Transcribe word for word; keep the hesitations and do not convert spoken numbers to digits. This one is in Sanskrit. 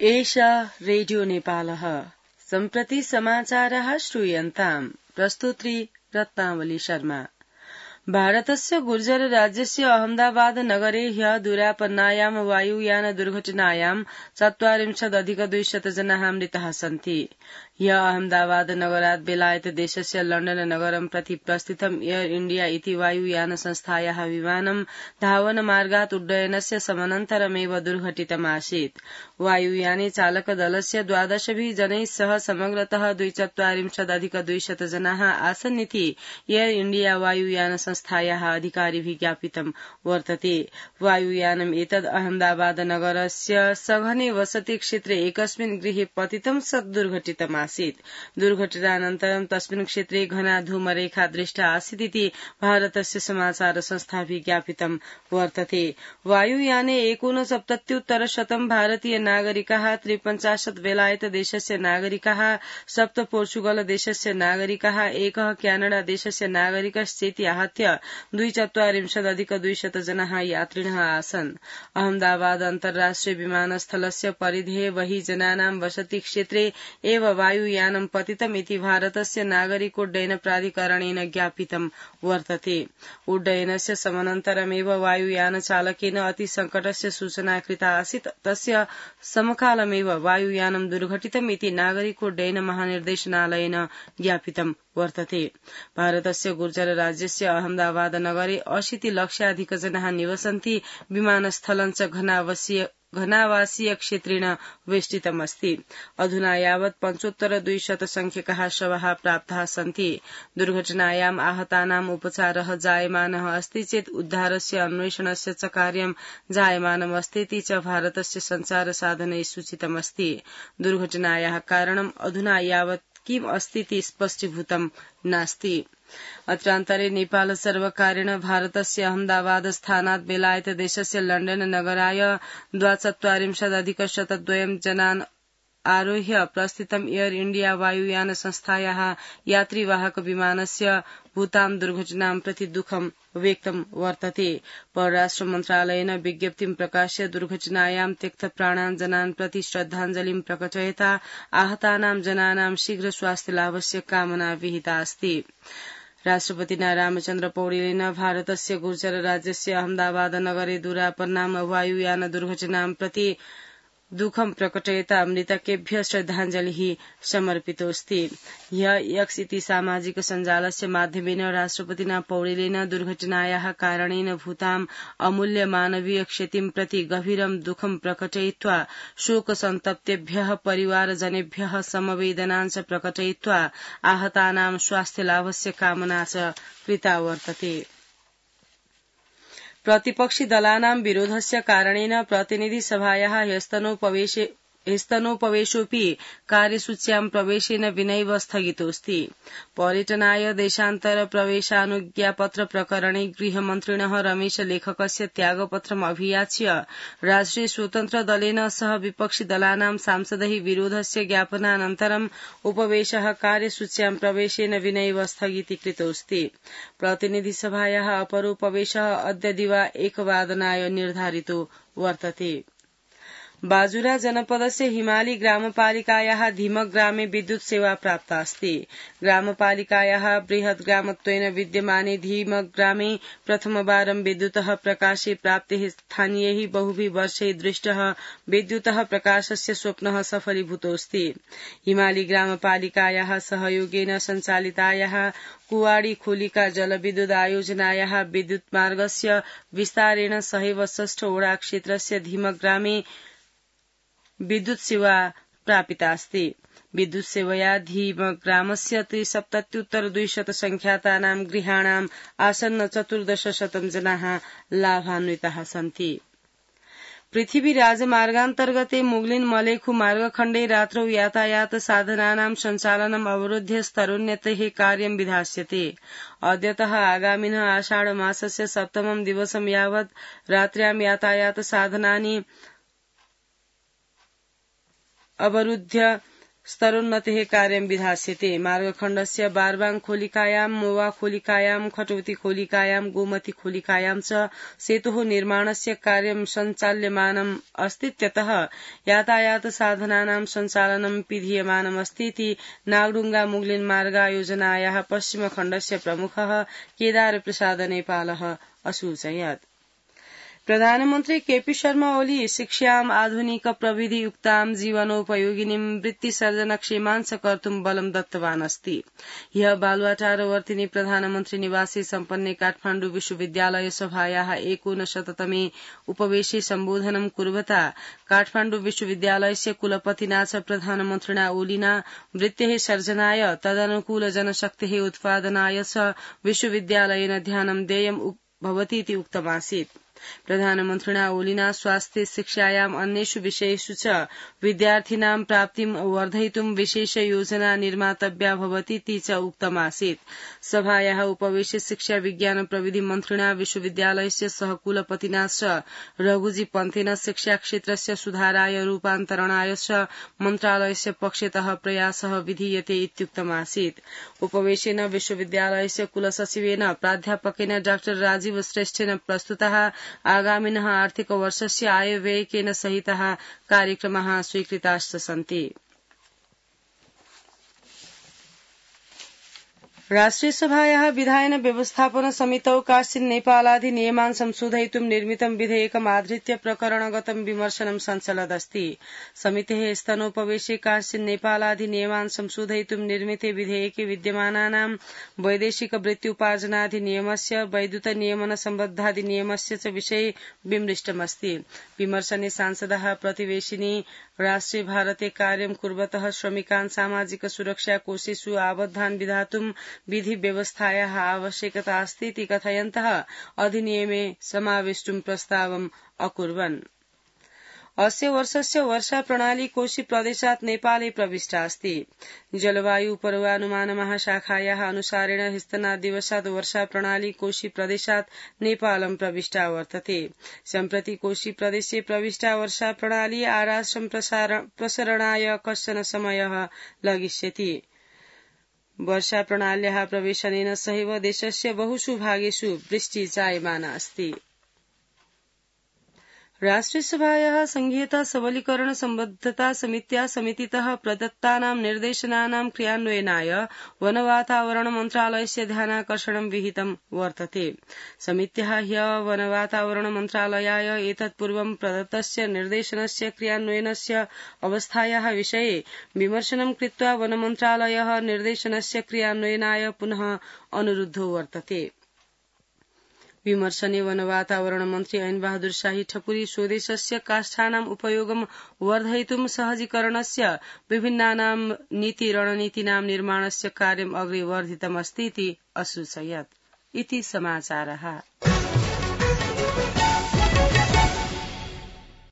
एषा रेडियो नेपालः सम्प्रति समाचारः श्रूयन्ताम् प्रस्तुत्री रत्नावली शर्मा। भारतस्य गुर्जर राज्यस्य अहमदाबाद नगरे ह्यः दुरापन्नायां वायुयान दुर्घटनायां चत्वारिंशदधिकद्विशत जनाः मृताः सन्ति। ह्यः अहमदाबाद नगरात् बेलायत देशस्य लण्डन नगरं प्रति प्रस्थितम् एयर इण्डिया इति वायुयान संस्थायाः विमानं धावनमार्गात् उड्डयनस्य समनन्तरमेव दुर्घटितमासीत्। वायुयाने चालकदलस्य द्वादशभिः जनैः सह समग्रतः द्विचत्वारिंशदधिकद्विशत जनाः आसन् इति एयर इण्डिया वायुयान संस्थायाः अधिकारिभिः ज्ञापितं वर्तते। वायुयानम् एतद् अहमदाबाद नगरस्य सघने वसति क्षेत्रे एकस्मिन् गृहे पतितं सत् दुर्घटितमासीत्। दुर्घटनानन्तरं तस्मिन् क्षेत्रे घना धूमरेखा दृष्टा आसीत् इति भारतस्य समाचार संस्थाभिः ज्ञापितं वर्तते। वायुयाने एकोनसप्तत्युत्तर शतं भारतीय नागरिकाः, त्रिपञ्चाशत् बेलायत देशस्य नागरिकाः, सप्त पोर्चुगल देशस्य नागरिकाः, एकः क्यानाडा देशस्य नागरिकश्चेति आहत्य द्विचत्वारिंशदधिकद्विशत जनाः यात्रिणः आसन्। अहमदाबाद अन्तर्राष्ट्रिय विमानस्थलस्य परिधेः बहिः जनानां वसति क्षेत्रे एव वायुयानं पतितम् इति भारतस्य नागरिकोड्डयन प्राधिकरणेन ज्ञापितं वर्तते। उड्डयनस्य समनन्तरमेव वायुयान चालकेन अतिसङ्कटस्य सूचना कृता आसीत्। तस्य समकालमेव वायुयानं दुर्घटितम् इति नागरिकोड्डयन महानिर्देशनालयेन ज्ञापितं वर्तते। भारतस्य गुर्जर राज्यस्य अहमदाबाद नगरे अशीति लक्षाधिक जनाः निवसन्ति। विमानस्थलं च घनावासीय घनावासीय क्षेत्रेण वेष्टितमस्ति। अधुना यावत् पञ्चोत्तर द्विशत संख्यकाः शवाः प्राप्ताः सन्ति। दुर्घटनायाम् आहतानाम् उपचारः जायमानः अस्ति चेत् उद्धारस्य अन्वेषणस्य च कार्यं जायमानमस्तीति च भारतस्य सञ्चार साधनैः सूचितमस्ति। दुर्घटनायाः कारणम् अधुना यावत् किम् अस्तीति स्पष्टीभूतं नास्ति। अत्रान्तरे नेपाल सर्वकारेण भारतस्य अहमदाबाद स्थानात् बेलायत देशस्य लण्डन नगराय द्वाचत्वारिंशदधिकशतद्वयं जनान् आरोह्य प्रस्थितम् एयर इण्डिया वायुयान संस्थायाः यात्रीवाहक विमानस्य भूतां दुर्घटनां प्रति दुःखं व्यक्तं वर्तते। परराष्ट्र मन्त्रालयेन विज्ञप्तिं प्रकाश्य दुर्घटनायां त्यक्तप्राणान् जनान् प्रति श्रद्धाञ्जलिं प्रकटयता आहतानां जनानां शीघ्र स्वास्थ्यलाभस्य कामना विहिता अस्ति। राष्ट्रपतिना रामचन्द्र पौडेलेन भारतस्य गुर्जर राज्यस्य अहमदाबाद नगरे दुरापन्नां वायुयान दुर्घटनां प्रति दुःखं प्रकटयता मृतकेभ्यः श्रद्धाञ्जलिः समर्पितोऽस्ति। ह्यः एक्स इति सामाजिक सञ्जालस्य माध्यमेन राष्ट्रपतिना पौडेलेन दुर्घटनायाः कारणेन भूताम् अमूल्य मानवीय क्षतिं प्रति गभीरं दुःखं प्रकटयित्वा शोकसन्तप्तेभ्यः परिवारजनेभ्यः समवेदनाञ्च प्रकटयित्वा आहतानां स्वास्थ्यलाभस्य कामना च कृता वर्तते। प्रतिपक्षी दलानां विरोधस्य कारणेन प्रतिनिधि सभायाः ह्यस्तनोपवेशे ह्यस्तनोपवेशोऽपि कार्यसूच्यां प्रवेशेन विनैव स्थगितोऽस्ति। पर्यटनाय देशान्तर प्रवेशानुज्ञापत्र प्रकरणे गृहमन्त्रिणः रमेश लेखकस्य त्यागपत्रम् अभियाच्य राष्ट्रिय स्वतन्त्र दलेन सह विपक्षी दलानां सांसदैः विरोधस्य ज्ञापनानन्तरम् उपवेशः कार्यसूच्यां प्रवेशेन विनैव स्थगितीकृतोऽस्ति। प्रतिनिधि सभायाः अपरोपवेशः अद्य दिवा एकवादनाय निर्धारितो वर्तते। बाजुरा जनपदस्य हिमाली ग्रामपालिकायाः धीमक ग्रामे विद्युत सेवा प्राप्ता अस्ति। ग्रामपालिकायाः बृहत् ग्रामत्वेन विद्यमाने धीमक ग्रामे प्रथमवारं विद्युतः प्रकाशे प्राप्तेः स्थानीयैः बहुभिः वर्षैः दृष्टः विद्युतः प्रकाशस्य स्वप्नः सफलीभूतोऽस्ति। हिमाली ग्रामपालिकायाः सहयोगेन सञ्चालितायाः कुवाडी खोलिका जलविद्युत आयोजनायाः विद्युत मार्गस्य विस्तारेण सहैव षष्ठ ओडा क्षेत्रस्य धीमक ग्रामे विद्युत सेवा प्रापिता अस्ति। विद्युत सेवया धीमक ग्रामस्य त्रिसप्तत्युत्तर द्विशत संख्यातानां गृहाणाम् आसन्न चतुर्दशशतं जनाः लाभान्विताः सन्ति। पृथिवी राजमार्गान्तर्गते मुगलिन मलेखु मार्गखण्डे रात्रौ यातायात साधनानां सञ्चालनम् अवरुध्य स्तरोन्नतेः कार्यं विधास्यते। अद्यतः आगामिनः आषाढ मासस्य सप्तमं दिवसं यावत् रात्र्यां यातायात साधनानि अवरुध्य स्तरोन्नतेः कार्यं विधास्यते। मार्गखण्डस्य बारबाङ खोलिकायां, मोवा खोलिकायां, खटौती खोलिकायां, गोमती खोलिकायां च सेतुः निर्माणस्य कार्यं सञ्चाल्यमानम् अस्तीत्यतः यातायात साधनानां सञ्चालनं विधीयमानमस्ति इति नागडुङ्गा मुगलिन मार्गायोजनायाः पश्चिमखण्डस्य प्रमुखः केदार प्रसाद नेपालः असूचयत्। प्रधानमन्त्री केपी शर्मा ओली शिक्षाम् आधुनिक प्रविधि युक्तां जीवनोपयोगिनीं वृत्तिसर्जनक्षेमांश कर्तुं बलं दत्तवान् अस्ति। ह्यः बालुवाटारवर्तिनी प्रधानमन्त्री निवासे सम्पन्ने काठमाण्डु विश्वविद्यालय सभायाः एकोनशततमे उपवेशे सम्बोधनं कुर्वता काठमाण्डु विश्वविद्यालयस्य कुलपतिना च प्रधानमन्त्रिणा ओलिना वृत्तेः सर्जनाय तदनुकूल जनशक्तेः उत्पादनाय च विश्वविद्यालयेन ध्यानं देयं भवतीति उक्तमासीत्। प्रधानमन्त्रिणा ओलिना स्वास्थ्य शिक्षायाम् अन्येषु विषयेषु च विद्यार्थिनां प्राप्तिं वर्धयितुं विशेष योजना निर्मातव्या भवतीति च उक्तमासीत्। सभायाः उपवेशे शिक्षा विज्ञान प्रविधि मन्त्रिणा विश्वविद्यालयस्य सहकुलपतिना च रघुजी पन्थेन शिक्षा क्षेत्रस्य सुधाराय रूपान्तरणाय च मन्त्रालयस्य पक्षतः प्रयासः विधीयते इत्युक्तमासीत्। उपवेशेन विश्वविद्यालयस्य कुलसचिवेन प्राध्यापकेन डाक्टर राजीव श्रेष्ठेन प्रस्तुतः आगामिनः आर्थिक वर्षस्य आयव्ययकेन सहितः कार्यक्रमाः स्वीकृताश्च सन्ति। राष्ट्रिय सभायाः विधायन व्यवस्थापन समितौ काश्चित् नेपालाधिनियमान् संशोधयितुं निर्मितं विधेयकम् आधृत्य प्रकरणगतं विमर्शनं सञ्चलदस्ति। समितेः स्तनोपवेशे काश्चित् नेपालाधिनियमान् संशोधयितुं निर्मिते विधेयके विद्यमानानां वैदेशिक वृत्त्युपार्जनाधिनियमस्य वैद्युत नियमन सम्बद्धाधिनियमस्य च विषये विमृष्टमस्ति। विमर्शने सांसदः प्रतिवेशिनी राष्ट्रे भारते कार्यं कुर्वतः श्रमिकान् सामाजिक सुरक्षा कोषेषु आबद्धान् विधातुं विधि व्यवस्थायाः आवश्यकता अस्ति इति कथयन्तः अधिनियमे समावेष्टुं प्रस्तावम् अकुर्वन्। अस्य वर्षस्य वर्षा प्रणाली कोशी प्रदेशात् नेपाले प्रविष्टा अस्ति। जलवायु पूर्वानुमान महाशाखायाः अनुसारेण ह्यस्तनादिवसात् वर्षा प्रणाली कोशी प्रदेशात् नेपालं प्रविष्टा वर्तते। सम्प्रति कोशी प्रदेशे प्रविष्टा वर्षा प्रणाली आराष्ट्रं प्रसरणाय कश्चन समयः लगिष्यति। वर्षा प्रणाल्याः प्रवेशनेन सहैव देशस्य बहुषु भागेषु वृष्टि जायमाना अस्ति। राष्ट्रियसभायाः संघीयता सबलीकरण सम्बद्धता समित्या समितितः प्रदत्तानां निर्देशनानां क्रियान्वयनाय वनवातावरण मन्त्रालयस्य ध्यानाकर्षणं विहितं वर्तते। समित्याः ह्यः वनवातावरण मन्त्रालयाय एतत्पूर्वं प्रदत्तस्य निर्देशनस्य क्रियान्वयनस्य अवस्थायाः विषये विमर्शनं कृत्वा वनमन्त्रालयः निर्देशनस्य क्रियान्वयनाय पुनः अनुरुद्धो वर्तते। विमर्शने वनवातावरण मन्त्री ऐन बहादुर शाही ठकुरी स्वदेशस्य काष्ठानाम् उपयोगं वर्धयितुं सहजीकरणस्य विभिन्नानां नीति रणनीतीनां निर्माणस्य कार्यम् अग्रे वर्धितमस्ति इति असूचयत्। इति समाचारः।